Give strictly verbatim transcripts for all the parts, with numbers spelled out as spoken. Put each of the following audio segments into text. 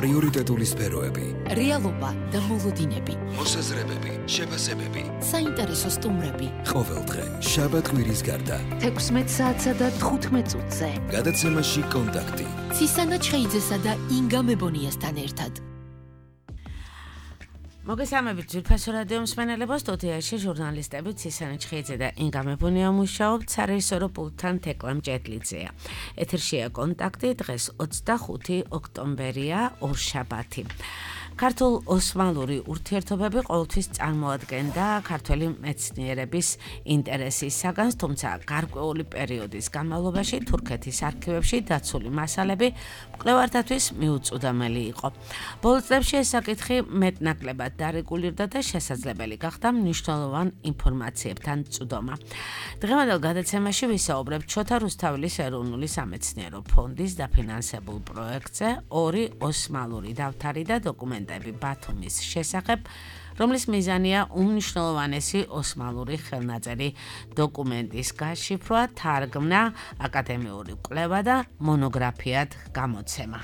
პრიორიტეტული სფეროები, რეალობა და მოლოდინები, მოსაზრებები, შეფასებები, საინტერესო სტუმრები. ყოველდღე, შაბათ-კვირის გარდა, თექვსმეტ საათსა და თხუთმეტ წუთზე. გადაცემაში კონტაქტი. ცისანა ჩხეიძესა და ინგა მებონიასთან ერთად. მოგესალმებით ძვირფასო რადიო მსმენელებო, სტუდიაში ჟურნალისტები ცისანა ჩხეიძე და ინგა მებონია მუშაობთ, სარეჟისორო პულტთან თეკლა მჭედლიძეა. ეთერშია კონტაქტი, დღეს ოცდახუთი ოქტომბერია, ორშაბათი. ქართულ ოსმალური ურთიერთობები ყოველთვის წარმოადგენდა ქართველი მეცნიერების ინტერესის საგანს, თუმცა გარკვეული პერიოდის განმავლობაში თურქეთის არქივებში დაცული მასალები მკვლევართათვის მიუწვდომელი იყო. ბოლო წლებში ეს საკითხი მეტნაკლებად დარეგულირდა და შესაძლებელი გახდა მნიშვნელოვან ინფორმაციებთან წვდომა. დღევანდელ გადაცემაში ვისაუბრებთ შოთა რუსთაველის ეროვნული სამეცნიერო ფონდის დაფინანსებულ პროექტზე ორი ოსმალური დავთარი და დოკუმენტები ბათუმის შესახებ, რომლის მიზანია უმნიშვნელოვანესი ოსმალური ხელნაწერი დოკუმენტის გაშიფრვა, თარგმნა, აკადემიური კვლევა და მონოგრაფიად გამოცემა.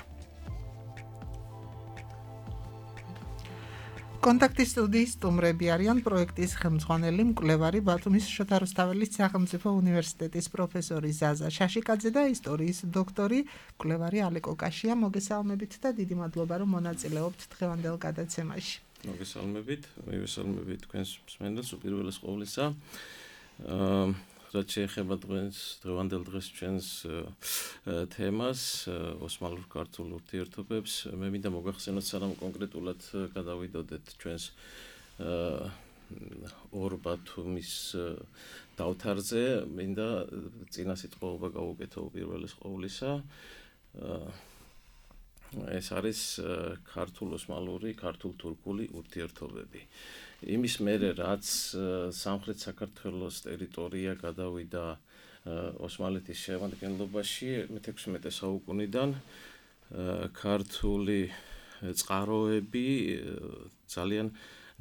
კონტაქტის სტუდიის სტუმრები არიან პროექტის ხელმძღვანელი მკვლევარი ბათუმის შოთა რუსთაველის სახელმწიფო უნივერსიტეტის პროფესორი ზაზა შაშიკაძე და ისტორიის დოქტორი მკვლევარი ალეკო კაშია. მოგესალმებით და დიდი მადლობა რომ მონაწილეობთ დღევანდელ გადაცემაში. მოგესალმებით, მივესალმებით თქვენს მსმენელს უპირველეს ყოვლისა. აა რაც შეეხება დღეს დღევანდელ დღეს ჩვენს თემას, ოსმალურ ქართულ ურთიერთობებს, მე მინდა მოგახსენოთ, სანამ კონკრეტულად გადავიდოდეთ ჩვენს ორ ბათუმის დავთარზე, მინდა წინა სიტყვაობა გავუკეთო უპირველეს ყოვლისა. ეს არის ქართულ-ოსმალური, ქართულ-თურქული ურთიერთობები. იმის მერე, რაც სამხრეთ საქართველოს ტერიტორია გადავიდა ოსმალეთის შემადგენლობაში მეთექვსმეტე საუკუნიდან, ქართული წყაროები ძალიან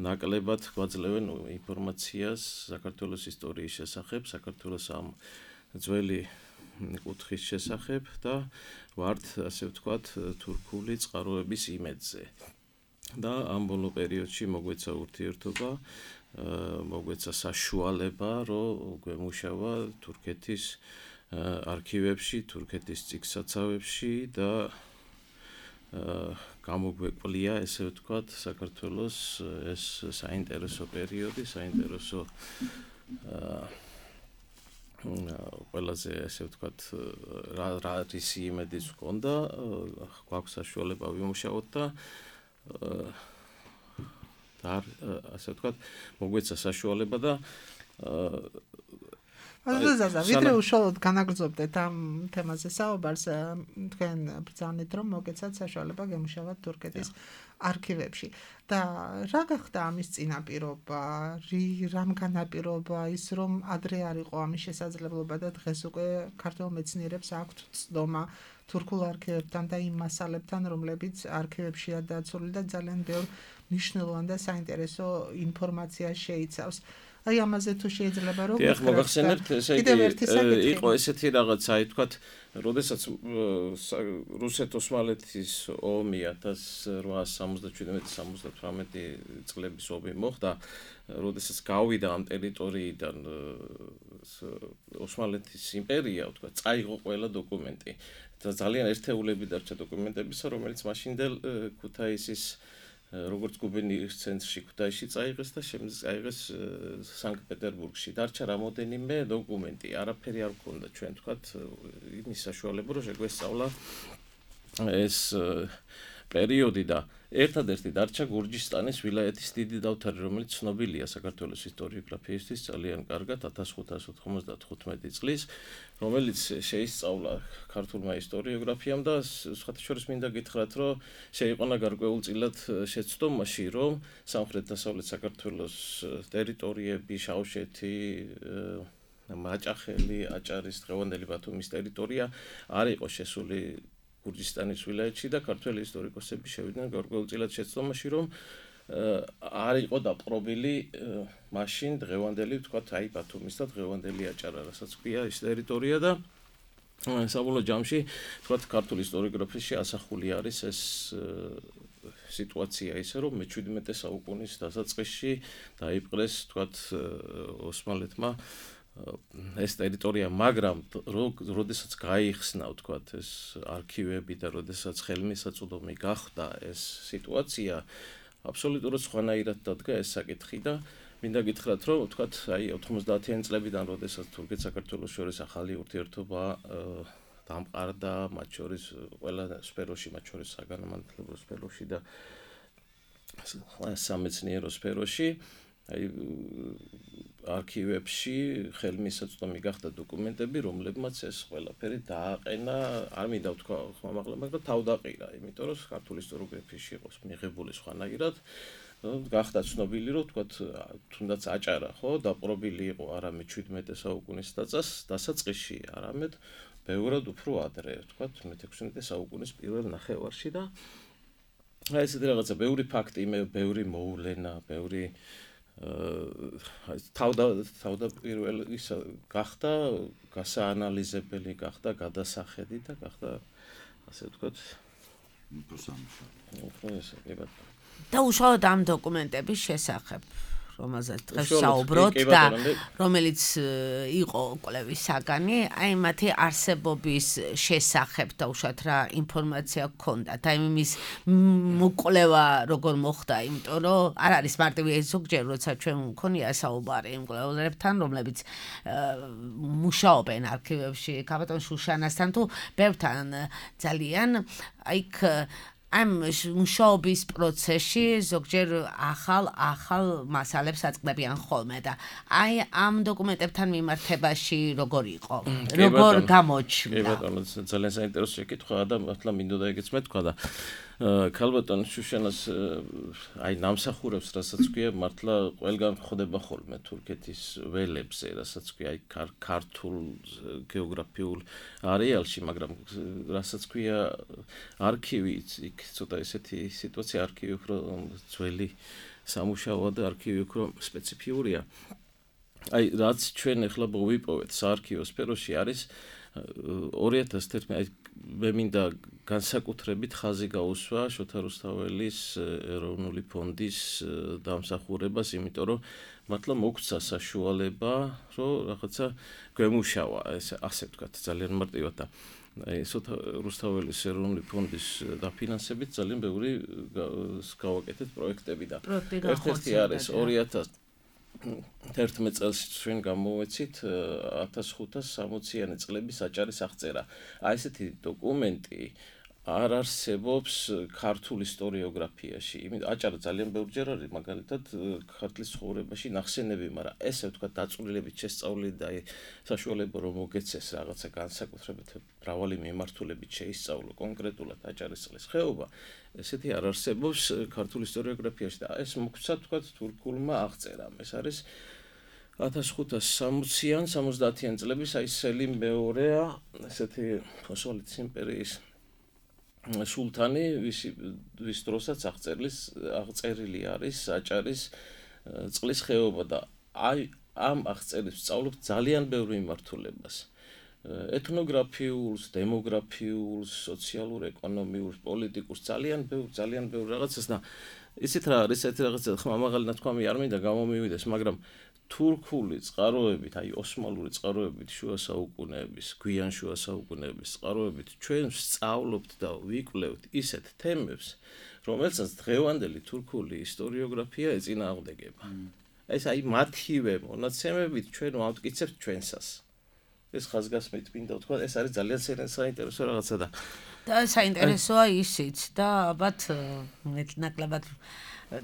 ნაკლებად გვაძლევენ ინფორმაციას საქართველოს ისტორიის შესახებ, საქართველოს ამ ძველი კუთხის შესახებ და ვართ, ასე ვთქვათ, თურქული წყაროების იმედზე. და ამ ბოლო პერიოდში მოგვეცა ურთიერთობა, მოგვეცა საშუალება, რომ გვემუშავა თურქეთის არქივებში, თურქეთის წიგნსაცავებში და გამოგვეყვლია, ესე ვთქვათ, საქართველოს ეს საინტერესო პერიოდი, საინტერესო ყველაზე, ესე ვთქვათ, რა რისი იმედიც ჰქონდა, გვაქვს საშუალება ვიმუშაოთ და და ასე ვთქვათ, მოგვეცა საშუალება და ანუ ზაზა, ვიდრე უშუალოდ განაგრძობდეთ ამ თემაზე საუბარს, თქვენ ბრძანეთ, რომ მოგეცათ საშუალება გემუშავოთ თურქეთის არქივებში. და რა გახდა ამის წინაპირობა, რამ განაპირობა ის, რომ ადრე არ იყო ამის შესაძლებლობა და დღეს უკვე ქართულ მეცნიერებს აქვთ ცდომა თურქულ არქივებთან და იმ მასალებთან, რომლებიც არქივებშია დაცული და ძალიან ბევრ მნიშვნელოვან და საინტერესო ინფორმაციას შეიცავს. აი ამაზე თუ შეიძლება რომ დიახ, მოგახსენებთ, ესე იგი იყო ესეთი რაღაცა, აი თქვათ, როდესაც რუსეთ-ოსმალეთის ომი ათას რვაასი სამოცდაშვიდმეტი სამოცდათვრამეტი წლების ომი მოხდა, როდესაც გავიდა ამ ტერიტორიიდან ოსმალეთის იმპერია, ვთქვათ, წაიღო ყველა დოკუმენტი და ძალიან ერთეულები დარჩა დოკუმენტებისა, რომელიც მაშინდელ ქუთაისის როგორც გუბერნიის ცენტრში ქუთაისში წაიღეს და შემდეგ წაიღეს სანქტ-პეტერბურგში. დარჩა რამოდენიმე დოკუმენტი, არაფერი არ გქონდა ჩვენ, თქვათ, იმის საშუალება, რომ შეგვესწავლა ეს პერიოდი და ერთადერთი დარჩა გურჯისტანის ვილაიეთის დიდი დავთარი, რომელიც ცნობილია საქართველოს ისტორიოგრაფიისთვის ძალიან კარგად ათას ხუთას ოთხმოცდათხუთმეტი წლის, რომელიც შეისწავლა ქართულმა ისტორიოგრაფიამ და სხვათა შორის მინდა გითხრათ, რომ შეიყვანა გარკვეულწილად შეცდომაში, რომ სამხრეთ-დასავლეთ საქართველოს ტერიტორიები, შავშეთი, მაჭახელი, აჭარის, დღევანდელი ბათუმის ტერიტორია არ იყო შესული გურჯისტანის ვილაიეთში და ქართველი ისტორიკოსები შევიდნენ გარკვეულწილად შეცდომაში, რომ არ იყო დაპყრობილი მაშინ დღევანდელი, ვთქვათ, აი ბათუმის და დღევანდელი აჭარა, რასაც ქვია ის ტერიტორია და საბოლოო ჯამში თქვათ ქართული ისტორიოგრაფიაში ასახული არის ეს სიტუაცია ისე რომ მეჩვიდმეტე საუკუნის დასაწყისში დაიპყრეს თქვათ ოსმალეთმა ეს ტერიტორია, მაგრამ როდესაც გაიხსნა თქვათ ეს არქივები და როდესაც ხელმისაწვდომი გახდა ეს სიტუაცია, აბსოლუტურად სხვანაირად დადგა ეს საკითხი და მინდა გითხრათ, რომ თქვათ აი ოთხმოცდაათიანი წლებიდან როდესაც თურქეთ-საქართველოს შორის ახალი ურთიერთობა დამყარდა, მათ შორის ყველა სფეროში, მათ შორის საგანმანათლებლო სფეროში და სამეცნიერო სფეროში, აი არქივებში ხელმისაწვდომი გახდა დოკუმენტები, რომლებმაც ეს ყველაფერი დააყენა, არ მინდა ვთქვა ხმამაღლა, მაგრამ თავდაყირა, იმიტომ რომ ქართული ისტორიოგრაფიაში იყოს მიღებული სხვანაირად, გახდა ცნობილი, რომ თქვათ, თუნდაც აჭარა, ხო, დაპყრობილი იყო არა მეჩვიდმეტე საუკუნის დასაწყისში, არამედ ბევრად უფრო ადრე, თქვათ, მეთექვსმეტე საუკუნის პირველ ნახევარში და აი ესეთი რაღაცა, ბევრი ფაქტი, ბევრი მოვლენა, ბევრი თავდა თავდაპირველი ისა გახდა გასაანალიზებელი გახდა გადასახედი და გახდა ასე ვთქვათ პროსამშა. და უშუალოდ ამ დოკუმენტების შესახებ რომელზეც დღეს საუბრობთ და რომელიც იყო კვლევის საგანი, აი მათი არსებობის შესახებ და უშუალოდ რა ინფორმაცია გქონდათ, აი იმის მოკვლევა როგორ მოხდა, იმიტომ რომ არ არის მარტივი ზოგჯერ როცა ჩვენ მქონია საუბარი იმ კვლევარებთან, რომლებიც მუშაობენ არქივებში, კაბატონ შუშანასთან თუ ბევრთან ძალიან აიქ ამ მუშაობის პროცესში ზოგჯერ ახალ ახალ მასალებს აწყდებიან ხოლმე და აი ამ დოკუმენტებთან მიმართებაში როგორ იყო? როგორ გამოჩნდა? კი ბატონო, ძალიან საინტერესო შეკითხვაა და მართლა მინდოდა ეგეც მეთქვა და ქალბატონ შუშანას აი ნამსახურებს, რასაც ქვია, მართლა ყველგან ხდება ხოლმე თურქეთის ველებზე, რასაც ქვია, აი ქართულ გეოგრაფიულ არეალში, მაგრამ რასაც ქვია არქივი, იქ ცოტა ესეთი სიტუაცია, არქივი უფრო ძველი სამუშაოა და არქივი უფრო სპეციფიურია. აი რაც ჩვენ ახლა მოვიპოვეთ საარქივო სფეროში არის ორი ათას თერთმეტი მე მინდა განსაკუთრებით ხაზი გაუსვა შოთა რუსთაველის ეროვნული ფონდის დამსახურებას, იმიტომ რომ მართლა მოგცა საშუალება, რომ რაღაცა გვემუშავა, ეს ასე ვთქვათ, ძალიან მარტივად და აი შოთა რუსთაველის ეროვნული ფონდის დაფინანსებით ძალიან ბევრი გავაკეთეთ პროექტები და ერთ-ერთი არის ორი ათას თერთმეტ წელს ჩვენ გამოვეცით ათას ხუთას სამოციანი წლების აჭარის აღწერა. აი ესეთი დოკუმენტი არ არსებობს ქართულ ისტორიოგრაფიაში. იმით აჭარა ძალიან ბევრჯერ არის მაგალითად ქართლის ცხოვრებაში ნახსენები, მაგრამ ესე ვთქვათ დაწვრილებით შესწავლილი და საშუალება რომ მოგეცეს რაღაცა განსაკუთრებით მრავალი მიმართულებით შეისწავლო კონკრეტულად აჭარის წყლის ხეობა, ესეთი არ არსებობს ქართულ ისტორიოგრაფიაში და ეს მოგცა ვთქვათ თურქულმა აღწერამ. ეს არის ათას ხუთას სამოციან სამოცდაათიან წლების აი სელიმ მეორეა, ესეთი ოსმალეთის იმპერიის სულთანი, ვის დროსაც აღწერლის აღწერილი არის აჭარის წყლის ხეობა და აი ამ აღწერებს სწავლობ ძალიან ბევრ მიმართულებას. ეთნოგრაფიულს, დემოგრაფიულს, სოციალურ, ეკონომიურს, პოლიტიკურს, ძალიან ბევრ, ძალიან ბევრ რაღაცას და ისეთ რა არის, ესეთი რაღაცა ხმამაღალი ნათქვამი არ მინდა გამომივიდეს, მაგრამ თურქული წყაროებით, აი ოსმალური წყაროებით, შუა საუკუნეების, გვიან შუა საუკუნეების წყაროებით ჩვენ ვსწავლობთ და ვიკვლევთ ისეთ თემებს, რომელსაც დღევანდელი თურქული ისტორიოგრაფია ეწინააღმდეგება. ეს აი მათივე მონაცემებით ჩვენ ვამტკიცებთ ჩვენსას. ეს ხაზგასმით მინდა ვთქვა, ეს არის ძალიან საინტერესო რაღაცა და და საინტერესოა ისიც და ალბათ ნაკლებად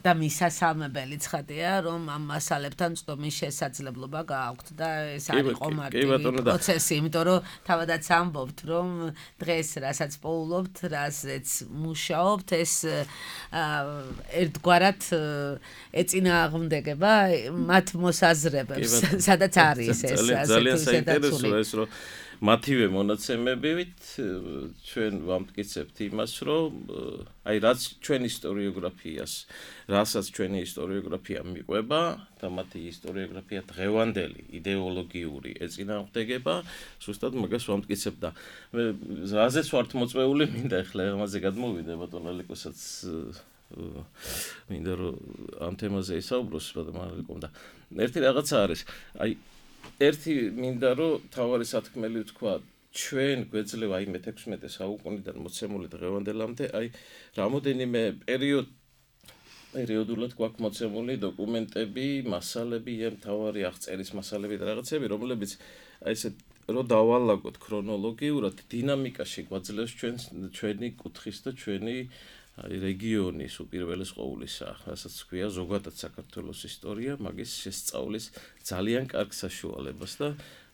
და მისასალმებელი ცხადია, რომ ამ მასალებთან წვდომის შესაძლებლობა გააქვთ და ეს არ იყო მარტივი პროცესი, იმიტომ რომ თავადაც ამბობთ, რომ დღეს რასაც პოულობთ, რასაც მუშაობთ, ეს ერთგვარად ეწინააღმდეგება მათ მოსაზრებებს, სადაც არის ეს ძალიან საინტერესოა ეს, რომ მათივე მონაცემებით ჩვენ ვამტკიცებთ იმას, რომ აი რაც ჩვენ ისტორიოგრაფიას, რასაც ჩვენი ისტორიოგრაფია მიყვება და მათი ისტორიოგრაფია დღევანდელი იდეოლოგიური ეწინააღმდეგება, ზუსტად მაგას ვამტკიცებთ და მე რაზეც ვართ მოწვეული, მინდა ახლა ამაზე გადმოვიდე ბატონ ალეკოსაც მინდა რომ ამ თემაზე ისაუბროს ბატონ ალეკომ და ერთი რაღაცა არის, აი ერთი მინდა რომ თავარი სათქმელი ვთქვა ჩვენ გვეძლევა აი მეთექვსმეტე საუკუნიდან მოცემული დღევანდელამდე აი რამოდენიმე პერიოდ პერიოდულად გვაქვს მოცემული დოკუმენტები, მასალები, ამ თავარი აღწერის მასალები და რაღაცები, რომლებიც აი ესე რო დავალაგოთ ქრონოლოგიურად დინამიკაში გვაძლევს ჩვენ ჩვენი კუთხის და ჩვენი აი რეგიონის უპირველეს ყოვლისა, რასაც ქვია ზოგადად საქართველოს ისტორია, მაგის შესწავლის ძალიან კარგ საშუალებას და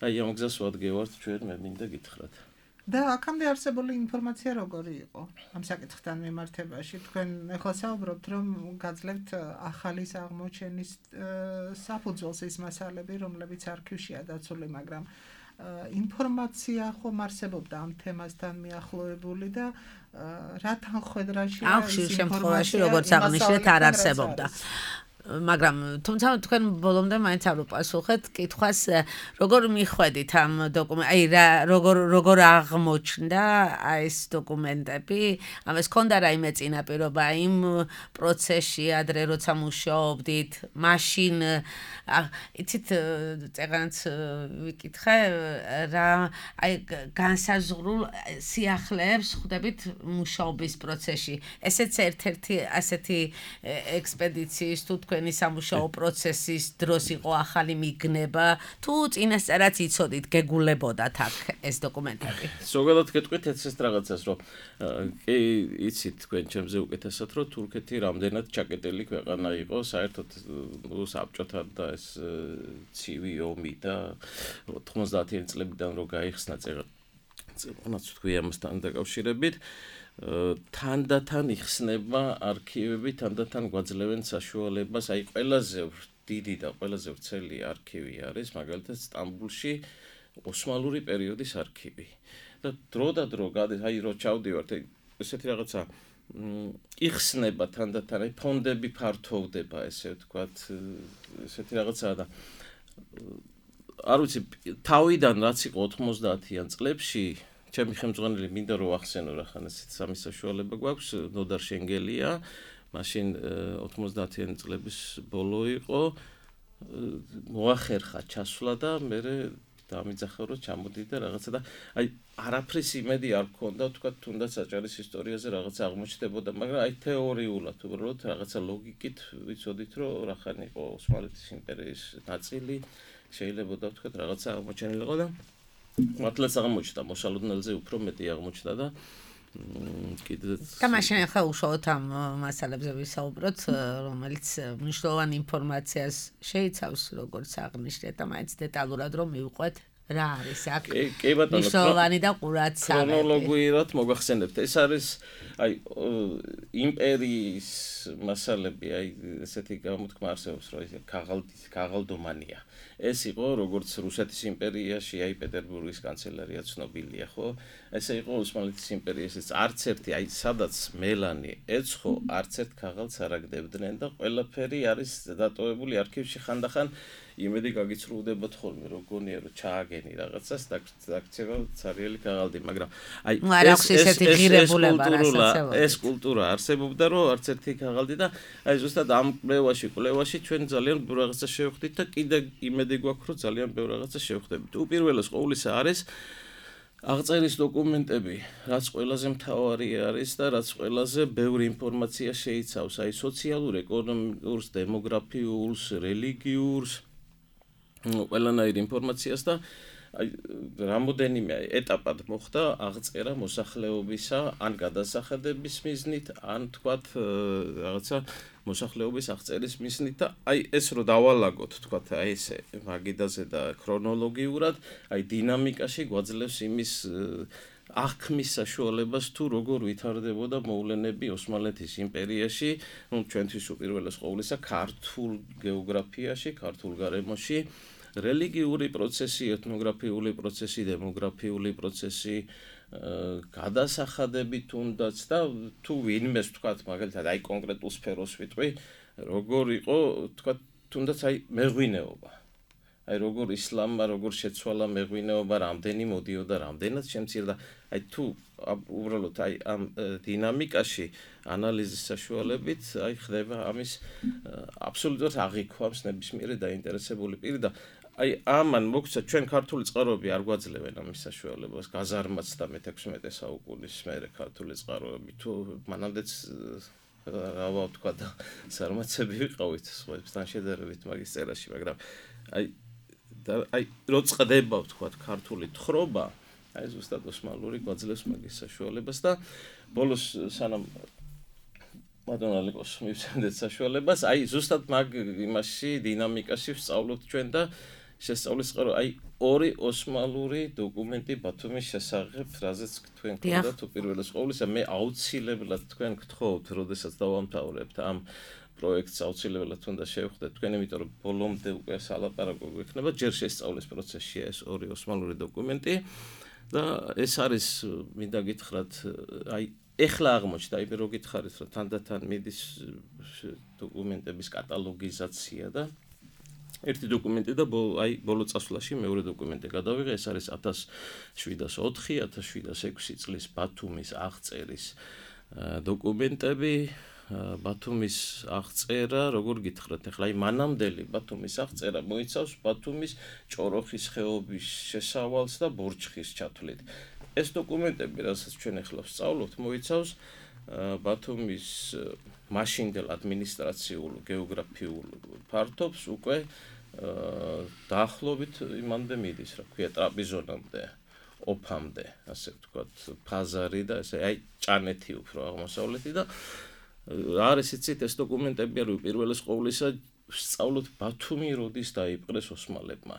აი ამ გზას ვადგევართ ჩვენ მე მინდა გითხრათ. და აქამდე არსებული ინფორმაცია როგორი იყო ამ საკითხთან მიმართებაში? თქვენ ახლა საუბრობთ, რომ გაძლევთ ახალი აღმოჩენის საფუძველს ის მასალები, რომლებიც არქივშია დაცული, მაგრამ ინფორმაცია ხომ არსებობდა ამ თემასთან მიახლოებული და რა თანხმედრაში ახშირ შემთხვევაში როგორც აღნიშნეთ არ არსებობდა. მაგრამ თუმცა თქვენ ბოლომდე მაინც არ უპასუხეთ კითხვას როგორ მიხვედით ამ დოკუმენტ აი რა როგორ როგორ აღმოჩნდა აი ეს დოკუმენტები ამას ქონდა რაიმე წინაპირობა იმ პროცესში ადრე როცა მუშაობდით მაშინ იცით წეგანაც ვიკითხე რა აი განსაზღვრულ სიახლეებს ხვდებით მუშაობის პროცესში ესეც ერთ-ერთი ასეთი ექსპედიციის თუ თქვენი სამუშაო პროცესის დროს იყო ახალი მიგნება თუ წინასწარაც იცოდით გეგულებოდათ აქ ეს დოკუმენტები ზოგადად გეტყვით ეს რაღაცას რომ კი იცით თქვენ ჩემზე უკეთესად რომ თურქეთი რამდენად ჩაკეტილი ქვეყანა იყო საერთოდ საბჭოთა და ეს ცივი ომი და ოთხმოცდაათიანი წლებიდან რო გაიხსნა წელწადაც თქვი ამასთან დაკავშირებით თანდათან იხსნება არქივები, თანდათან გვაძლევენ საშუალებას, აი ყველაზე დიდი და ყველაზე ვრცელი არქივი არის, მაგალითად სტამბულში ოსმალური პერიოდის არქივი. და დრო და დრო გადის, აი რო ჩავდივართ, ესეთი რაღაცა იხსნება თანდათან, აი ფონდები ფართოვდება, ესე ვთქვათ, ესეთი რაღაცაა და არ ვიცი, თავიდან რაც იყო ოთხმოცდაათიან წლებში ჩემი ხელმძღვანელი მინდა რომ ახსენო რა ხან ესეთ სამი საშუალება გვაქვს ნოდარ შენგელია მაშინ ოთხმოცდაათიანი წლების ბოლო იყო მოახერხა ჩასვლა და მე დამიძახა რომ ჩამოდი და რაღაცა და აი არაფრის იმედი არ მქონდა თქვა თუნდაც აჭარის ისტორიაზე რაღაცა აღმოჩნდებოდა მაგრამ აი თეორიულად უბრალოდ რაღაცა ლოგიკით ვიცოდით რომ რა ხან იყო ოსმალეთის იმპერიის ნაწილი შეიძლება თქვა რაღაცა აღმოჩენილიყო და მართლაც აღმოჩნდა მოსალოდნელზე უფრო მეტი აღმოჩნდა და კიდეც და მაშინ ახლა უშუალოდ ამ მასალებზე ვისაუბროთ რომელიც მნიშვნელოვანი ინფორმაციას შეიცავს როგორც აღნიშნეთ და მაინც დეტალურად რომ მივყვეთ რა არის აქ მნიშვნელოვანი და ყურადსავალი ქრონოლოგიურად მოგახსენებთ ეს არის აი იმპერიის მასალები აი ესეთი გამოთქმა არსებობს რომ ქაღალდის ქაღალდომანია ეს იყო როგორც რუსეთის იმპერიაში აი პეტერბურგის კანცელარია ცნობილია ხო ესე იყო ოსმალეთის იმპერიაში არც ერთი აი სადაც მელანი ეცხო არც ერთ ქაღალდს არ აგდებდნენ და ყველაფერი არის დატოვებული არქივში ხანდახან იმედი გაგიცრუდებათ ხოლმე რომ გონია რომ ჩააგენი რაღაცას დაგქცევა ცარიელი ქაღალდი მაგრამ აი ეს კულტურა არსებობდა რომ არც ერთი ქაღალდი და აი ზუსტად ამ კვლევაში კვლევაში ჩვენ ძალიან ბევრ რაღაცას შევხვდით და კიდე იმედი გვაქვს რომ ძალიან ბევრ რაღაცას შევხვდებით უპირველეს ყოვლისა არის აღწერის დოკუმენტები რაც ყველაზე მთავარი არის და რაც ყველაზე ბევრი ინფორმაცია შეიცავს აი სოციალურ ეკონომიკურს დემოგრაფიულს რელიგიურს ყველანაირ ინფორმაციას და აი რამოდენიმე ეტაპად მოხდა აღწერა მოსახლეობისა ან გადასახადების მიზნით ან თქვათ რაღაცა მოსახლეობის აღწერის მიზნით და აი ეს რო დავალაგოთ თქვათ აი ესე მაგიდაზე და ქრონოლოგიურად აი დინამიკაში გვაძლევს იმის აღქმის საშუალებას თუ როგორ ვითარდებოდა მოვლენები ოსმალეთის იმპერიაში ну ჩვენთვის უპირველეს ყოვლისა ქართულ გეოგრაფიაში ქართულ გარემოში რელიგიური პროცესი, ეთნოგრაფიული პროცესი, დემოგრაფიული პროცესი, გადასახადები თუნდაც და თუ ვინმეს თქვათ, მაგალითად, აი კონკრეტულ სფეროს ვიტყვი, როგორ იყო, თქვათ, თუნდაც აი მეღვინეობა. აი როგორ ისლამმა, როგორ შეცვალა მეღვინეობა, რამდენი მოდიოდა, რამდენად შემცირდა. აი თუ უბრალოდ აი ამ დინამიკაში ანალიზის საშუალებით აი ხდება ამის აბსოლუტურად აღიქვამს ნებისმიერი დაინტერესებული პირი და აი ამან მოგცა ჩვენ ქართული წყაროები არ გვაძლევენ ამის საშუალებას გაზარმაც და მეთექვსმეტე საუკუნის მერე ქართული წყაროები თუ მანამდეც რა ვთქვა და ზარმაცები ვიყავით სხვებთან შედარებით მაგის წერაში მაგრამ აი და აი რო წდება ვთქვათ ქართული თხრობა აი ზუსტად ოსმალური გვაძლევს მაგის საშუალებას და ბოლოს სანამ მადონალიკოს მივცემდეთ საშუალებას აი ზუსტად მაგ იმაში დინამიკაში ვსწავლობთ ჩვენ და შესწავლის წყარო აი ორი ოსმალური დოკუმენტი ბათუმის შესახებ რაზეც თქვენ გქონდათ უპირველეს ყოვლისა მე აუცილებლად თქვენ გთხოვთ როდესაც დავამთავრებთ ამ პროექტს აუცილებლად უნდა შევხვდეთ თქვენ იმიტომ რომ ბოლომდე უკვე სალაპარაკო გვექნება ჯერ შესწავლის პროცესშია ეს ორი ოსმალური დოკუმენტი და ეს არის მინდა გითხრათ აი ეხლა აღმოჩნდა აი რო გითხარით რომ თანდათან მიდის დოკუმენტების კატალოგიზაცია და ერთი დოკუმენტი და აი ბოლო წასვლაში მეორე დოკუმენტი გადავიღე ეს არის ათას შვიდას ოთხი ათას შვიდას ექვსი წლის ბათუმის აღწერის დოკუმენტები ბათუმის აღწერა როგორ გითხრათ ახლა აი მანამდელი ბათუმის აღწერა მოიცავს ბათუმის ჭოროხის ხეობის შესავალს და ბორჩხის ჩათვლით ეს დოკუმენტები რასაც ჩვენ ახლა ვსწავლობთ მოიცავს ბათუმის მაშინდელ ადმინისტრაციულ გეოგრაფიულ ფართობს უკვე დაახლოებით იმამდე მიდის რა ქვია ტრაპიზონამდე ოფამდე ასე ვთქვათ ფაზარი და ესე აი ჭანეთი უფრო აღმოსავლეთი და არის იცით ეს დოკუმენტები არის პირველეს ყოვლისა ვსწავლოთ ბათუმი როდის დაიპყრეს ოსმალებმა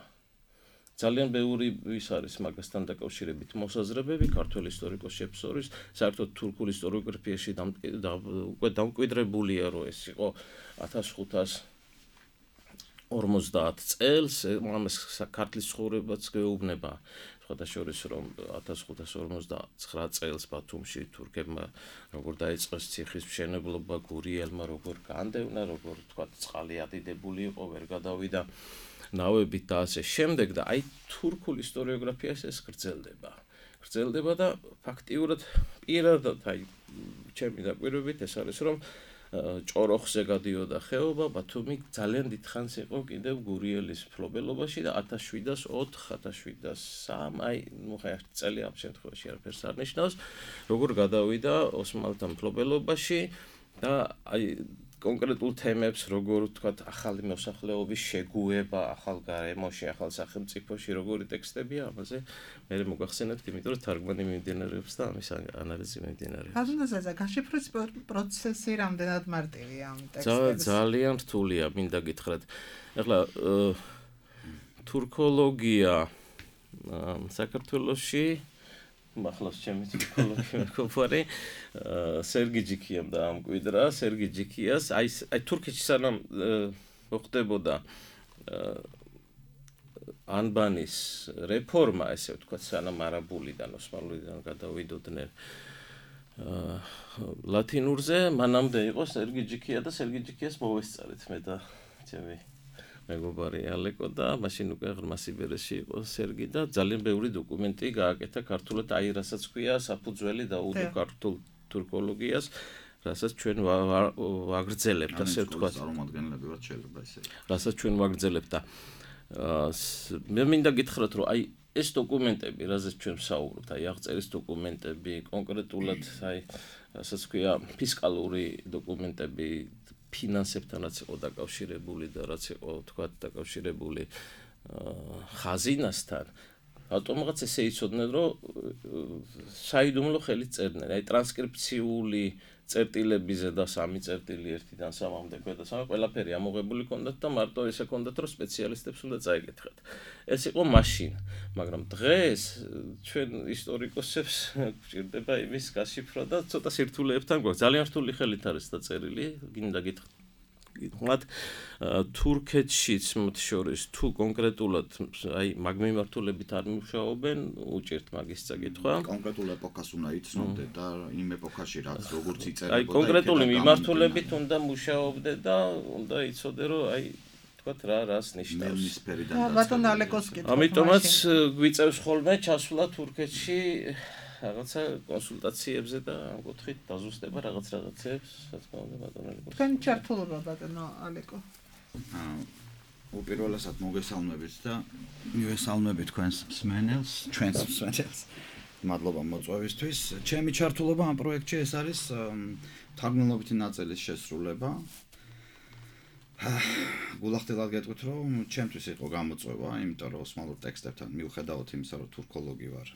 ძალიან ბევრი ის არის მაგასთან დაკავშირებით მოსაზრებები ქართველ ისტორიკოსებს შორის საერთოდ თურქულ ისტორიოგრაფიაში უკვე დამკვიდრებულია რომ ეს იყო ათას ხუთას ორმოცდაათ წელს ამას ქართლის ცხოვრებაც გეუბნება სხვათა შორის რომ ათას ხუთას ორმოცდაცხრა წელს ბათუმში თურქებმა როგორ დაიწყეს ციხის მშენებლობა გურიელმა როგორ განდევნა როგორ თქვა წყალი ადიდებული იყო ვერ გადავიდა ნავებით და ასე შემდეგ და აი თურქულ ისტორიოგრაფიას ეს გრძელდება. გრძელდება და ფაქტიურად პირადად აი ჩემი დაკვირვებით ეს არის რომ ჭოროხზე გადიოდა ხეობა ბათუმი ძალიან დიდხანს იყო კიდევ გურიელის მფლობელობაში და ათას შვიდას ოთხ ათას შვიდას სამი აი ნუ ხა ერთი წელი ამ შემთხვევაში არაფერს არ ნიშნავს როგორ გადავიდა ოსმალთა მფლობელობაში და აი კონკრეტულ თემებს როგორ ვთქვათ ახალი მოსახლეობის შეგუება ახალ გარემოში ახალ სახელმწიფოში როგორი ტექსტებია ამაზე მე მოგახსენებთ იმიტომ რომ თარგმანი მიმდინარეობს და ამის ანალიზი მიმდინარეობს აზრდაზე გაშიფრების პროცესი რამდენად მარტივია ამ ტექსტების ძალიან რთულია მინდა გითხრათ ახლა თურქოლოგია საქართველოში მახლავს ჩემი თურქოლოგი მეგობარი სერგი ჯიქიამ დაამკვიდრა სერგი ჯიქიას აი აი თურქეთში სანამ მოხდებოდა ანბანის რეფორმა ესე ვთქვათ სანამ არაბულიდან ოსმალურიდან გადავიდოდნენ ლათინურზე მანამდე იყო სერგი ჯიქია და სერგი ჯიქიას მოვესწარეთ მე და ჩემი მეგობარი ალეკო და მაშინ უკვე ღრმა სიბერეში იყო სერგი და ძალიან ბევრი დოკუმენტი გააკეთა ქართულად აი რასაც ქვია საფუძველი დაუდო ქართულ თურქოლოგიას რასაც ჩვენ ვაგრძელებთ ასე ვთქვათ წარმომადგენლებად შეიძლება ესე რასაც ჩვენ ვაგრძელებთ და მე მინდა გითხრათ რომ აი ეს დოკუმენტები რასაც ჩვენ ვსაუბრობთ აი აღწერის დოკუმენტები კონკრეტულად აი რასაც ქვია ფისკალური დოკუმენტები ფინანსებთან რაც იყო დაკავშირებული და რაც იყო თქვათ დაკავშირებული ხაზინასთან ავტომატურად ესე იცოდნენ რომ საიდუმლო ხელით წერდნენ აი ტრანსკრიფციული წერტილებიზე და სამი წერტილი ერთიდან სამამდე ქვედა სამი ყველაფერი ამოღებული ჰქონდათ და მარტო ესე ჰქონდათ რომ სპეციალისტებს უნდა წაიკითხათ ეს იყო მაშინ მაგრამ დღეს ჩვენ ისტორიკოსებს გვჭირდება იმის გაშიფრვა და ცოტა სირთულეებთან გვაქვს ძალიან რთული ხელით არის დაწერილი გინდა გითხრათ კითხავთ თურქეთშიც მათ შორის თუ კონკრეტულად აი მაგ მიმართულებით არ მუშაობენ, უჭერთ მაგის წაკითხვა. კონკრეტულ ეპოქას უნდა იცნობდე და იმ ეპოქაში რაც როგორც იწერებოდა. აი კონკრეტული მიმართულებით უნდა მუშაობდე და უნდა იცოდე რომ აი თქვათ რა რას ნიშნავს. ბატონ ალეკოს კითხვა. ამიტომაც გვიწევს ხოლმე ჩასვლა თურქეთში რაღაცა კონსულტაციებზე და ამ კუთხით დაზუსტება რაღაც რაღაცებს, რა თქმა უნდა ბატონ ალეკო. თქვენ ჩართულობა ბატონო ალეკო. აა უპირველესად მოგესალმებით და მივესალმებით თქვენს მსმენელს, ჩვენს მსმენელს. მადლობა მოწვევისთვის. ჩემი ჩართულობა ამ პროექტში ეს არის თარგმნილობითი ნაწილის შესრულება. გულახდილად გეტყვით რომ ჩემთვის იყო გამოწვევა, იმიტომ რომ ოსმალურ ტექსტებთან მიუხედავად იმისა რომ თურქოლოგი ვარ,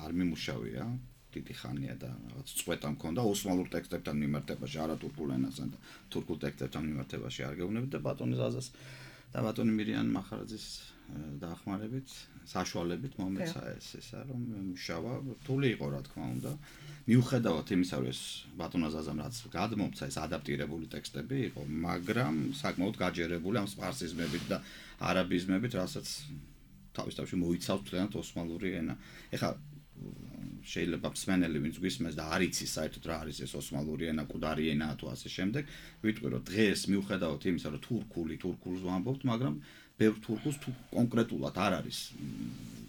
არ მიმუშავია დიდი ხანია და რაღაც წვეტა მქონდა ოსმალურ ტექსტებთან მიმართებაში, არა თურქულ ენასთან და თურქულ ტექსტებთან მიმართებაში არ გეუბნებით და ბატონი ზაზას და ბატონი მირიან მახარაძის დაახმარებით, საშუალებით მომეცა ეს ისა რომ მუშავა, რთული იყო რა თქმა უნდა. მიუხედავად იმისა რომ ეს ბატონ ზაზამ რაც გადმომცა ეს ადაპტირებული ტექსტები იყო, მაგრამ საკმაოდ გაჯერებული ამ სპარსიზმებით და არაბიზმებით, რასაც თავის თავში მოიცავს თლიანად ოსმალური ენა. ეხლა შეიძლება მსმენელი ვინც გვისმენს და არ იცის საერთოდ რა არის ეს ოსმალური ენა, კუდარი ენაა თუ ასე შემდეგ, ვიტყვი რომ დღეს მიუხედავად იმისა რომ თურქული თურქულს ვამბობთ, მაგრამ ბევრ თურქულს თუ კონკრეტულად არ არის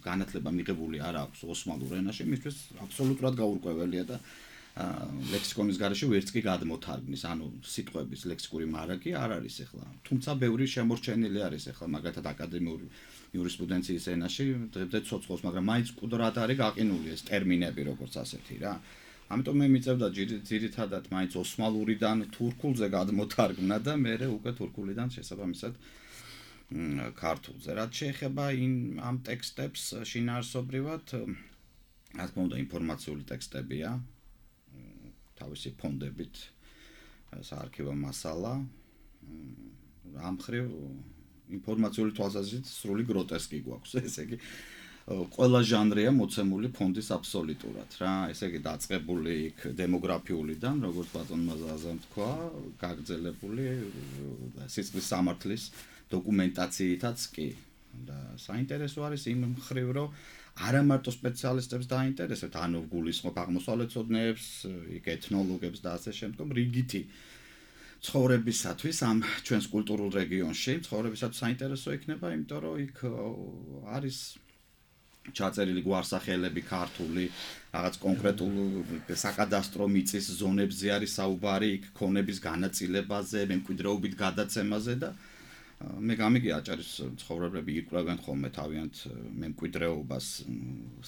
განათლება მიღებული არ აქვს ოსმალურ ენაში, მისთვის აბსოლუტურად გაურკვეველია და ლექსიკონის გარეშე ვერც კი გადმოთარგმნის, ანუ სიტყვების ლექსიკური მარაგი არ არის ახლა. თუმცა ბევრი შემორჩენილი არის ახლა მაგათად აკადემიური იურისპრუდენციის ენაში, დღემდე ცოცხლობს, მაგრამ მაინც კუდრად არის გაყინული ეს ტერმინები როგორც ასეთი რა. ამიტომ მე მიწევდა ძირითადად მაინც ოსმალურიდან თურქულზე გადმოთარგმნა და მე უკვე თურქულიდან შესაბამისად ქართულზე. რაც შეეხება ამ ტექსტებს შინაარსობრივად, რა თქმა უნდა ინფორმაციული ტექსტებია, თავისი ფონდებით, საარქივო მასალა, ამ მხრივ ინფორმაციული თვალსაზრისით სრული გროტესკი გვაქვს, ესე იგი ყველა ჟანრია მოცემული ფონდის აბსოლუტურად რა, ესე იგი დაწყებული იქ დემოგრაფიულიდან, როგორც ბატონმა ზაზამ თქვა, გაგრძელებული სიცხლის სამართლის დოკუმენტაციითაც კი და საინტერესო არის იმ მხრივ რომ არა მარტო სპეციალისტებს დაინტერესებთ, ანუ გულისხმობ აღმოსავლეთმცოდნეებს, იქ ეთნოლოგებს და ასე შემდგომ რიგითი ცხოვრებისათვის ამ ჩვენს კულტურულ რეგიონში ცხოვრებისათვის საინტერესო იქნება, იმიტომ რომ იქ არის ჩაწერილი გვარსახელები ქართული, რაღაც კონკრეტულ საკადასტრო მიწის ზონებზე არის საუბარი, იქ ქონების განაწილებაზე, მემკვიდრეობით გადაცემაზე და მე გამიგია აჭარის ცხოვრებები იკვლევენ ხოლმე თავიანთ მემკვიდრეობას,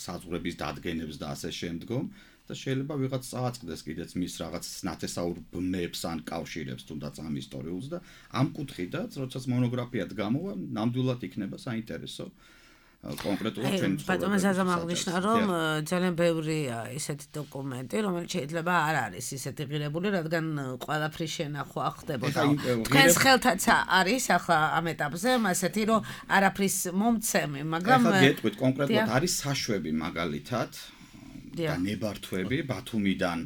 საზღვრების დადგენებს და ასე შემდგომ და შეიძლება ვიღაც წააწყდეს კიდეც მის რაღაც ნათესაურ ბმებს ან კავშირებს თუნდაც ამ ისტორიულს და ამ კუთხიდან, როდესაც მონოგრაფიად გამოვა, ნამდვილად იქნება საინტერესო კონკრეტულად ჩვენ ცხოვრებაში. ბატონო ზაზამ აღნიშნა, რომ ძალიან ბევრია ისეთი დოკუმენტი, რომელიც შეიძლება არ არის ისეთი ღირებული, რადგან ყველაფრის შენახვა ხდებოდა. თქვენს ხელთაც არის ახლა ამ ეტაპზე, ასეთი რომ არაფრის მომცემი, მაგრამ ახლა გეტყვით კონკრეტულად არის საშვები მაგალითად და ნებართვები ბათუმიდან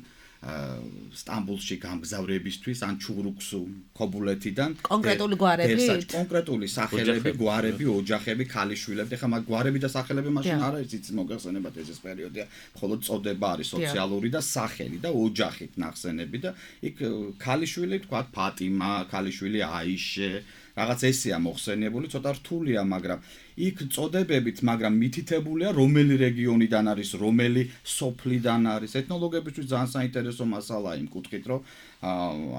სტამბოლში გამგზავრებისთვის ან ჩურუქსუ ქობულეთიდან კონკრეტული გვარები კონკრეტული სახელები, გვარები, ოჯახები, ქალიშვილები, ეხლა მაგ გვარები და სახელები მაშინ არ არის იცით მოგეხსენებათ ეს პერიოდია, მხოლოდ წოდება არის სოციალური და სახელი და ოჯახით ნახსენები და იქ ქალიშვილი თქვა ფატიმა, ქალიშვილი აიშე, რაღაც ესეა მოხსენიებული, ცოტა რთულია, მაგრამ იქ წოდებებით, მაგრამ მითითებულია რომელი რეგიონიდან არის, რომელი სოფლიდან არის. ეთნოლოგებისთვის ძალიან საინტერესო მასალაა იმ კუთხით, რომ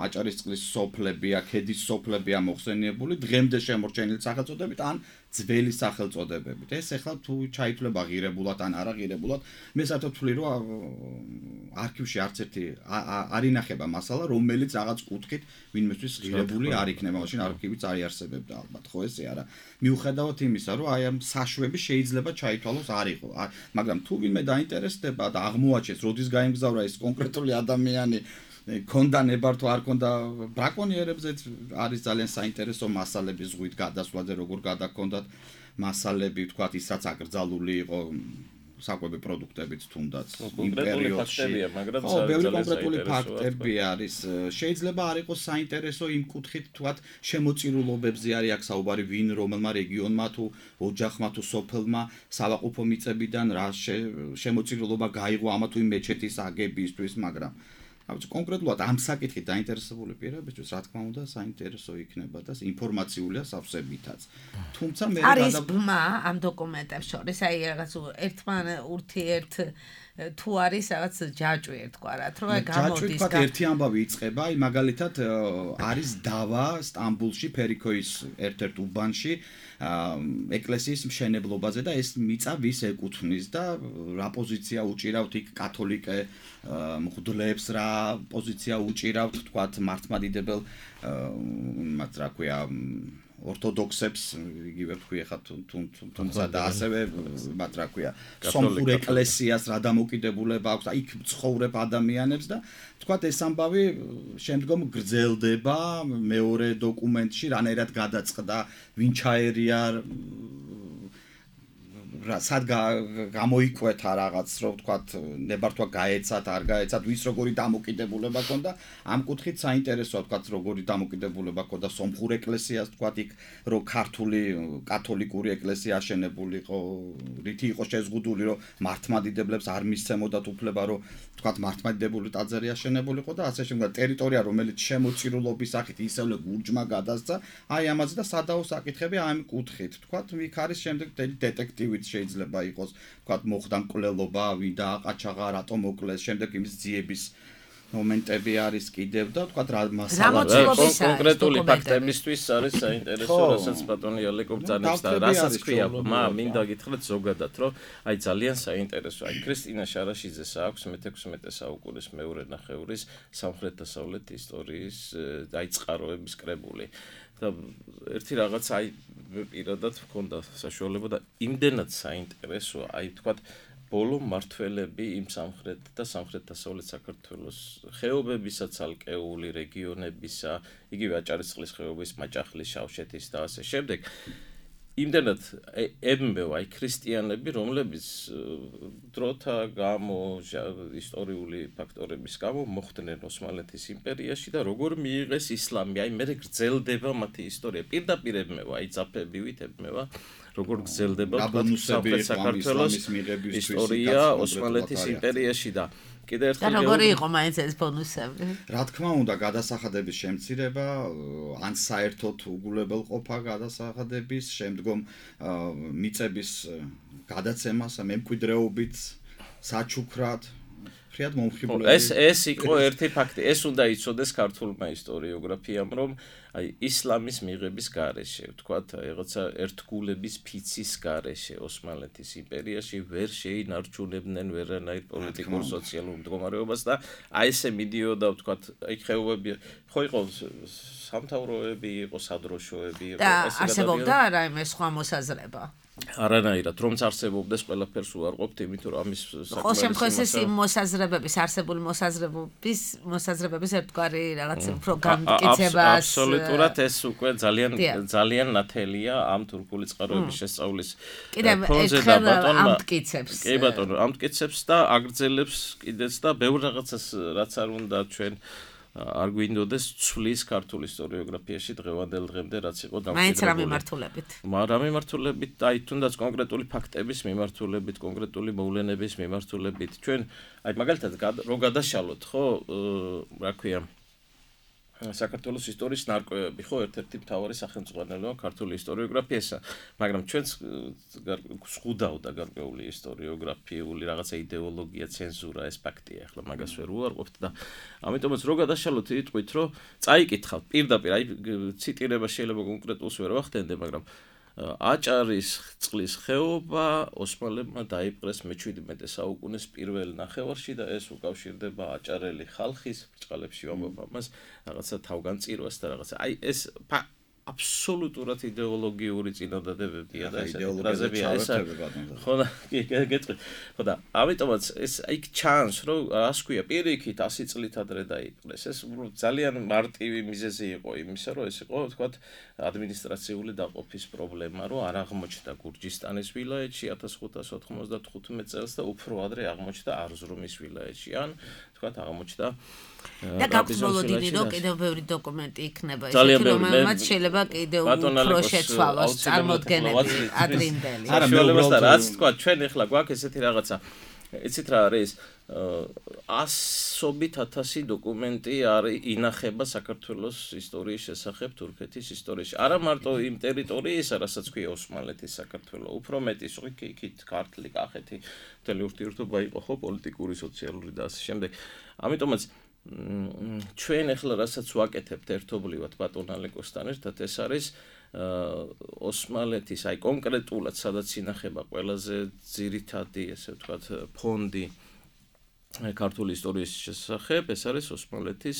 აჭარისწყლის სოფლებია, ქედის სოფლებია მოხსენიებული, დღემდე შემორჩენილი სახელწოდებით ან ძველი სახელწოდებებით. ეს ახლა თუ ჩაითვლება ღირებულად ან არა ღირებულად, მე საერთოდ ვთვლი, რომ არქივში არც ერთი არ ინახება მასალა, რომელიც რაღაც კუთხით ვინმესთვის ღირებული არ იქნება, მაშინ არქივიც არ იარსებებდა ალბათ, ხო ესე არა. მიუხედავად იმისა, რომ აი ამ საშვები შეიძლება ჩაითვალოს არ იყო, მაგრამ თუ ვინმე დაინტერესდება და აღმოაჩენს, როდის გაემგზავრა ეს კონკრეტული ადამიანი, ქონდა ნებართვა არ ქონდა ბრაკონიერებზე არის ძალიან საინტერესო მასალები ზღვით გადასვლაზე, როგორ გადაქონდათ მასალები, თქვათ, ის რაც აკრძალული იყო საკვები პროდუქტებიც თუნდაც იმ პერიოდში. ხო, ბევრი კონკრეტული ფაქტები არის. შეიძლება არ იყოს საინტერესო იმ კუთხით, თქვათ, შემოწირულობებზე არის აქ საუბარი, ვინ რომელმა რეგიონმა თუ ოჯახმა თუ სოფელმა სავაყუფო მიწებიდან რა შემოწირულობა გაიღო ამა თუ იმ მეჩეთის აგებისთვის, მაგრამ კონკრეტულად ამ საკითხით დაინტერესებული პირებისთვის, რა თქმა უნდა, საინტერესო იქნება და ინფორმაციულია სავსებითაც. თუმცა მე არის ბმა ამ დოკუმენტებს შორის, აი რაღაც ერთმან ურთიერთ თუ არის რაღაც ჯაჭვი ერთგვარად, რომ აი გამოდის ჯაჭვი თქვა ერთი ამბავი იწყება, აი მაგალითად არის დავა სტამბულში ფერიქოის ერთ-ერთ უბანში ეკლესიის მშენებლობაზე და ეს მიწა ვის ეკუთვნის და რა პოზიცია უჭირავთ იქ კათოლიკე მღვდლებს, რა პოზიცია უჭირავთ თქვათ მართლმადიდებელ მათ რა ქვია ორთოდოქსებს, იგივე ვთქვი ახლა თუმცა და ასევე მათ რა ქვია სომხურ ეკლესიას რა დამოკიდებულება აქვს, იქ ცხოვრებ ადამიანებს და თქვათ ეს ამბავი შემდგომ გრძელდება მეორე დოკუმენტში, რანაირად გადაწყდა, ვინ ჩაერია, სად გამოიკვეთა რაღაც, რომ თქვათ ნებართვა გაეცათ, არ გაეცათ, ვის როგორი დამოკიდებულება ქონდა, ამ კუთხით საინტერესოა თქვათ როგორი დამოკიდებულება ქონდა სომხურ ეკლესიას, თქვათ იქ რომ ქართული კათოლიკური ეკლესია აშენებულიყო, რითი იყო შეზღუდული, რომ მართლმადიდებლებს არ მისცემოდათ უფლება, რომ თქვათ მართლმადიდებელი ტაძარი აშენებულიყო და ასე შემდეგ. ტერიტორია რომელიც შემოწირულობის სახით ისევე გურჯმა გადასცა, აი ამაზე და სადაო საკითხები ამ კუთხით. თქვათ იქ არის შემდეგ დეტექტივით შეიძლება იყოს, თქვათ მოხდა მკვლელობა, ვინ დააყაჩაღა, რატომ მოკლეს, შემდეგ იმის ძიების მომენტები არის კიდევ და თქვათ რა მასალა კონკრეტული ფაქტებისთვის არის საინტერესო, რასაც ბატონი ალეკო ბრძანებს და რასაც ქვია, მა მინდა გითხრათ ზოგადად, რომ აი ძალიან საინტერესო, აი ქრისტინა შარაშიძეს აქვს მეთექვსმეტე საუკუნის მეორე ნახევრის სამხრეთ-დასავლეთ ისტორიის აი წყაროების კრებული. და ერთი რაღაც აი პირადად მქონდა საშუალება და იმდენად საინტერესოა, აი თქვათ ბოლო მართველები იმ სამხრეთ და სამხრეთ-დასავლეთ საქართველოს ხეობებისა, ცალკეული რეგიონებისა, იგივე აჭარისწყლის ხეობის, მაჭახლის, შავშეთის და ასე შემდეგ. იმდენად ებმევა აი ქრისტიანები, რომლებიც დროთა გამო, ისტორიული ფაქტორების გამო მოხვდნენ ოსმალეთის იმპერიაში და როგორ მიიღეს ისლამი, აი მე გრძელდება მათი ისტორია, პირდაპირ ებმევა, აი ძაფებივით ებმევა, როგორ გრძელდება სამხრეთ საქართველოს ისტორია ოსმალეთის იმპერიაში და კიდე ერთხელ და როგორი იყო მაინც ეს ბონუსები? რა თქმა უნდა, გადასახადების შემცირება, ან საერთოდ უგულებელყოფა გადასახადების, შემდგომ მიწების გადაცემას, მემკვიდრეობით, საჩუქრად, ფრიად მომხიბვლელი. ეს ეს იყო ერთი ფაქტი, ეს უნდა იცოდეს ქართულმა ისტორიოგრაფიამ, რომ აი ისლამის მიღების გარეშე, ვთქვათ, რაღაცა ერთგულების ფიცის გარეშე ოსმალეთის იმპერიაში ვერ შეინარჩუნებდნენ ვერანაირ პოლიტიკურ სოციალურ მდგომარეობას და აი ესე მიდიოდა, ვთქვათ, აი ხეობები, ხო იყო სამთავროები, იყო სადროშოები, იყო და არსებობდა არა იმ სხვა მოსაზრება. არანაირად, რომც არსებობდეს, ყველაფერს უარყოფთ, იმიტომ რომ ამის საკმაოდ ხო შემთხვევაში ეს იმ მოსაზრებების, არსებული მოსაზრებების, მოსაზრებების ერთგვარი რაღაც უფრო განმტკიცებას აბსოლუტურად ეს უკვე ძალიან ძალიან ნათელია ამ თურქული წყაროების შესწავლის ფონზე და ბატონმა ამტკიცებს. კი ბატონო, ამტკიცებს და აგრძელებს კიდეც და ბევრ რაღაცას რაც არ უნდა ჩვენ არ გვინდოდეს ცვლის ქართულ ისტორიოგრაფიაში დღევანდელ დღემდე რაც იყო დამკვიდრებული. მაინც რა მიმართულებით? რა მიმართულებით, აი თუნდაც კონკრეტული ფაქტების მიმართულებით, კონკრეტული მოვლენების მიმართულებით. ჩვენ აი მაგალითად რო გადაშალოთ, ხო, რა ქვია, საქართველოს ისტორიის ნარკვევები, ხო, ერთ-ერთი მთავარი სახელმძღვანელოა ქართული ისტორიოგრაფიისა, მაგრამ ჩვენც გვხვდავდა გარკვეული ისტორიოგრაფიული რაღაცა იდეოლოგია, ცენზურა, ეს ფაქტია, ახლა მაგას ვერ უარყოფთ და ამიტომაც რო გადაშალოთ, იტყვით, რომ წაიკითხავთ პირდაპირ, აი ციტირება შეიძლება კონკრეტულს ვერ ვახდენდე, მაგრამ აჭარის წყლის ხეობა ოსმალებმა დაიპყრეს მეჩვიდმეტე საუკუნის პირველ ნახევარში და ეს უკავშირდება აჭარელი ხალხის ბრჭყალებში ვამბობ ამას რაღაცა თავგანწირვას და რაღაცა. აი ეს აბსოლუტურად იდეოლოგიური წინადადებებია და ესეთი ფრაზებია ეს ხო და კი გეტყვი ხო და ამიტომაც ეს იქ ჩანს რომ ასე ქვია პირიქით ასი წლით ადრე დაიყრეს ეს ძალიან მარტივი მიზეზი იყო იმისა რომ ეს იყო თქვათ ადმინისტრაციული დაყოფის პრობლემა რომ არ აღმოჩნდა გურჯისტანის ვილაიეთში ათას ხუთას ოთხმოცდათხუთმეტ წელს და უფრო ადრე აღმოჩნდა არზრუმის ვილაიეთში ან თქვათ აღმოჩნდა და გაგრძელებული რომ კიდევ ბევრი დოკუმენტი იქნება ისეთი რომელმაც შეიძლება კიდევ უფრო შეცვალოს წარმოდგენები ადრინდელი არა მეუბნებოდა რაც თქვა ჩვენ ახლა გვაქვს ესეთი რაღაცა იცით რა არის ასობით ათასი დოკუმენტი არის ინახება საქართველოს ისტორიის შესახებ თურქეთის ისტორიაში არა მარტო იმ ტერიტორიისა რასაც ქვია ოსმალეთის საქართველო უფრო მეტი იქით ქართლი კახეთი მთელი ურთიერთობა იყო ხო პოლიტიკური სოციალური და ასე შემდეგ ამიტომაც ჩვენ ახლა რასაც ვაკეთებთ ერთობლივად ბატონ ალეკოსთან ერთად ეს არის ოსმალეთის აი კონკრეტულად სადაც ინახება ყველაზე ძირითადი ესე ვთქვათ ფონდი ქართული ისტორიის შესახებ ეს არის ოსმალეთის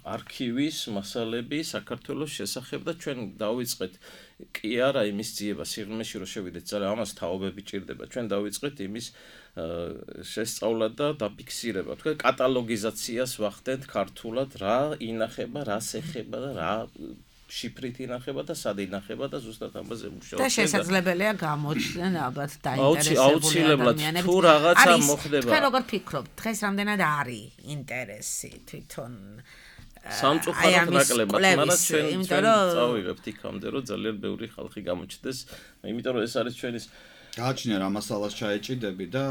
არქივის მასალები საქართველოს შესახებ და ჩვენ დავიწყეთ კი არა იმის ძიება სიღრმეში რომ შევიდეთ ძალიან ამას თაობები ჭირდება ჩვენ დავიწყეთ იმის შესწავლა და დაფიქსირება თქვენ კატალოგიზაციას ვახდენთ ქართულად რა ინახება რას ეხება და რა შიფრით ინახება და სად ინახება და ზუსტად ამაზე მუშაობთ და შესაძლებელია გამოჩნდნენ ალბათ დაინტერესებული ადამიანები თუ რაღაცა მოხდება თქვენ როგორ ფიქრობთ დღეს რამდენად არის ინტერესი თვითონ სამწუხაროდ ნაკლებად მაგრამ ჩვენ ჩვენ წავიღებთ იქამდე რომ ძალიან ბევრი ხალხი გამოჩნდეს იმიტომ რომ ეს არის ჩვენის გააჩნია რა მასალას ჩაეჭიდები და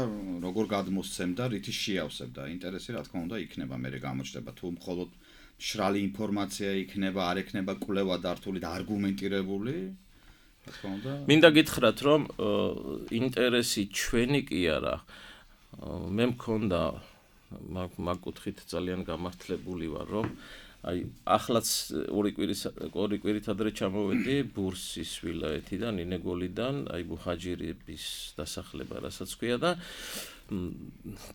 როგორ გადმოსცემ და რითი შეავსებ და ინტერესი რა თქმა უნდა იქნება მე გამოჩნდება თუ მხოლოდ მშრალი ინფორმაცია იქნება არ ექნება კვლევა დართული და არგუმენტირებული რა თქმა უნდა მინდა გითხრათ რომ ინტერესი ჩვენი კი არა მე მქონდა მაგ კუთხით ძალიან გამართლებული ვარ რომ აი ახლაც ორი კვირის ორი კვირით ადრე ჩამოვედი ბურსის ვილაიეთიდან ინეგოლიდან აი მუჰაჯირების დასახლება რასაც ქვია და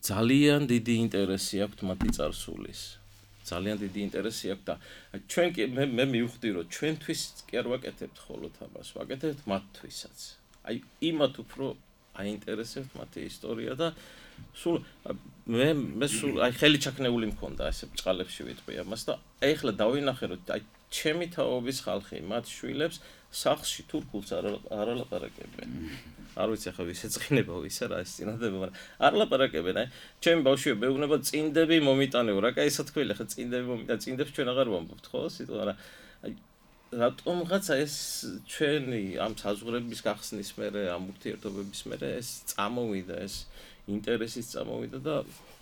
ძალიან დიდი ინტერესი აქვს მათი წარსულის ძალიან დიდი ინტერესი აქვს და ჩვენ კი მე მე მივხვდი რომ ჩვენთვის კი არ ვაკეთებთ ხოლოდ ამას ვაკეთებთ მათთვისაც აი იმათ უფრო აინტერესებთ მათი ისტორია და სულ მე მე სულ აი ხელი ჩაქნეული მქონდა ესე ბჭყალებში ვიტყვი ამას და ეხლა დავინახე რომ აი ჩემი თაობის ხალხი მათ შვილებს სახლში თურქულს არ არალაპარაკებენ არ ვიცი ახლა ვის ეწყინება ვის არა ეს წინადადება მაგრამ არ ლაპარაკებენ აი ჩემი ბავშვები მეუბნება წინდები მომიტანეო რა კაი სათქველი ახლა წინდები მომიტან წინდებს ჩვენ აღარ ვამბობთ ხო სიტყვა რა აი რატომღაცა ეს ჩვენი ამ საზღვრების გახსნის მერე ამ ურთიერთობების მერე ეს წამოვიდა ეს ინტერესის წამოვიდა და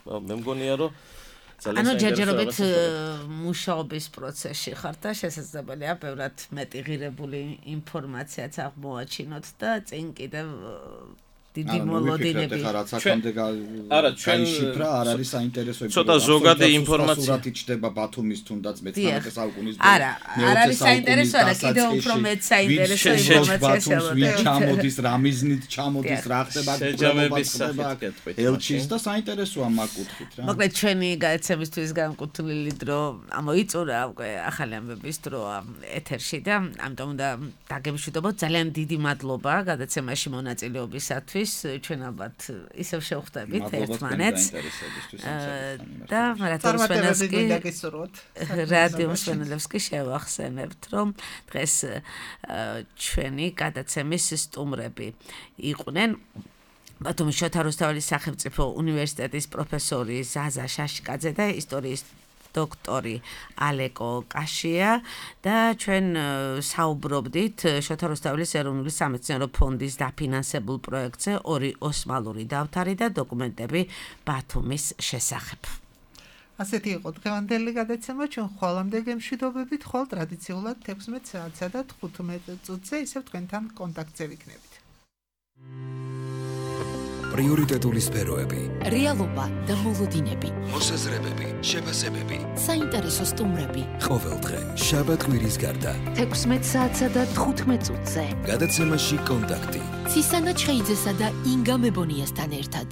მე მგონია რომ ანუ ჯერჯერობით მუშაობის პროცესში ხართ და შესაძლებელია ბევრად მეტი ღირებული ინფორმაციაც აღმოაჩინოთ და წინ კიდევ დიდი მოლოდინები რაც აქამდე არა ჩვენ შიფრა არ არის საინტერესოები ცოტა ზოგადი ინფორმაცია სურათი ჩდება ბათუმის თუნდაც მეცხრამეტე საუკუნის არა არ არის საინტერესო არა კიდევ უფრო მეც საინტერესო ინფორმაცია შეგვიძლია ჩამოდის რა მიზნით ჩამოდის რა ხდება შეჯამების სახით ელჩის და საინტერესოა მაგ კუთხით რა მოკლედ ჩვენი გადაცემისთვის განკუთვნილი დრო ამოიწურა უკვე ახალი ამბების დროა ეთერში და ამიტომ უნდა დაგემშვიდობოთ ძალიან დიდი მადლობა გადაცემაში მონაწილეობისათვის ჩვენ ალბათ ისევ შევხვდებით ერთმანეთს და რატომ სვენელსკი რადიო სვენელსკი შევახსენებთ რომ დღეს ჩვენი გადაცემის სტუმრები იყვნენ ბათუმის შოთა რუსთაველის სახელმწიფო უნივერსიტეტის პროფესორი ზაზა შაშკაძე და ისტორიის დოქტორი ალეკო კაშია და ჩვენ საუბრობდით შოთა რუსთაველის ეროვნული სამეცნიერო ფონდის დაფინანსებულ პროექტზე ორი ოსმალური დავთარი და დოკუმენტები ბათუმის შესახებ. ასეთი იყო დღევანდელი გადაცემა ჩვენ ხვალამდე გემშვიდობებით ხოლ ტრადიციულად თექვსმეტ საათსა და თხუთმეტ წუთზე ისევ თქვენთან კონტაქტზე ვიქნებით. პრიორიტეტული სფეროები, რეალობა და მოლოდინები, მოსაზრებები, შეფასებები, საინტერესო სტუმრები. ყოველდღე, შაბათ-კვირის გარდა, თექვსმეტ საათსა და თხუთმეტ წუთზე. გადაცემაში კონტაქტი. ცისანა ჩხეიძესა და ინგა მებონიასთან ერთად.